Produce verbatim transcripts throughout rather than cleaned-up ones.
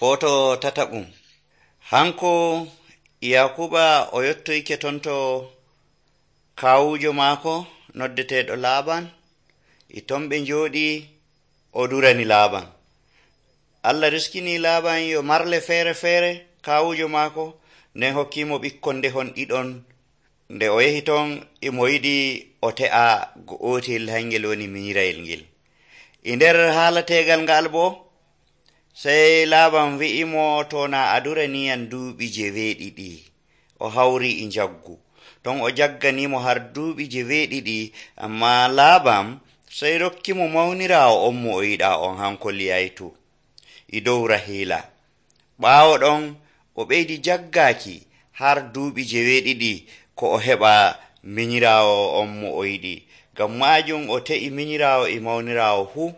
Foto tataɓum. Hanko Yakuba o yottoyke tonto kawujo maako noddeteɗo Laaban. E ton ɓe njooɗi o durani Laaban. Allah riskini Laaban yo marle feere feere kawujo maako, nden hokkimo ɓikkon ndehon ɗiɗon. Nde o yehi ton imo yiɗi o te'a go'otel hangel woni minyirayel ngel. E nder haalategal ngal bo sey Laaban wi'imo to na a duraniyam duuɓi jeweeɗiɗi. O hawri e jaggu ton o jagganimo har duuɓi jeweeɗiɗi, amma Laaban sey rokkimo mawniraawo on mo o yiɗa on hanko Liyaytu e dow Rahila. Ɓaawo ɗon o ɓeydi jaggaaki har duuɓi jeweeɗiɗi ko o heɓa minyiraawo on mo o yiɗi. Ngam maajum o te'i minyiraawo e mawniraawo fuu.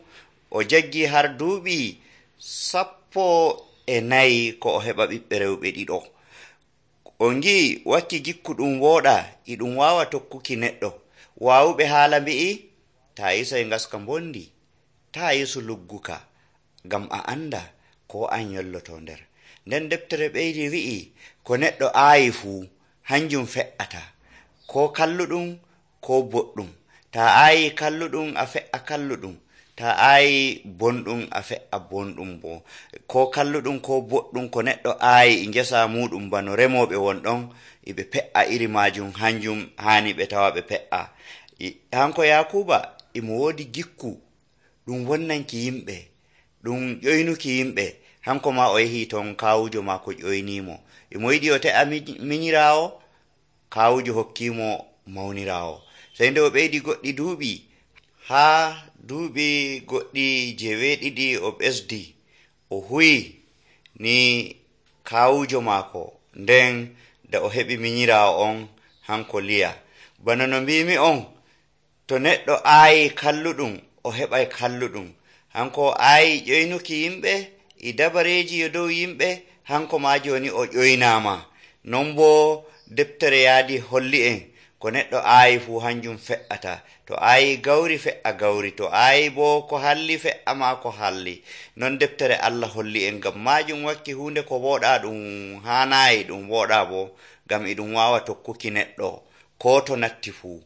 O jaggi har duuɓi sappo e nayi ko o heɓa ɓiɓɓe rewɓe ɗiɗo. O ngi'i wakki gikku ɗum wooɗa e ɗum waawa tokkuki neɗɗo. Waawuɓe haala mbi'i taa yisay ngaska mbondi, taa yisu lugguka, ngam a anda ko an yolloto nder. Nden deftere ɓeydi wi'i ko neɗɗo aayi fuu hanjum fe'ata, ko kalluɗum ko boɗɗum. Taa aayi kalluɗum a fe'a kalluɗum, taa aayi bonɗum a fe'a bonɗum bo. Ko kalluɗum ko boɗɗum ko neɗɗo aayi e ngesa muɗum bano remoɓe won ɗon eɓe pe'a iri majum, hanjum hani ɓe tawa ɓe pe'a. Hanko Yakuba imo woodi gikku ɗum wonnanki yimɓe, ɗum ƴoynuki yimɓe. Hanko ma o yehi ton kawujo maako ƴoynimo, imo yiɗi o te'a minyiraawo, kawujo hokkimo mawniraawo. Sey nde o ɓeydi goɗɗi duuɓi, haa duuɓi goɗɗi jeweeɗiɗi o ɓesdi, o huwi ni kawujo maako, nden nde o heɓi minyiraawo on hanko Liya. Bana no mbimi on, to neɗɗo aayi kalluɗum o heɓay kalluɗum. Hanko aayi ƴoynuki yimɓe e dabareeji yo dow yimɓe, hanko ma joni o ƴoynaama. Non bo deftere yaadi holli en ko neɗɗo aayi fuu hanjum fe'ata. To aayi gawri fe'a gawri, to aayi bo ko halli fe'a ma ko halli. Non deftere Allah holli en. Ngam majum wakki hunde ko wooɗa ɗum haanayi ɗum wooɗa bo, ngam e ɗum waawa tokkuki neɗɗo ko to natti fuu.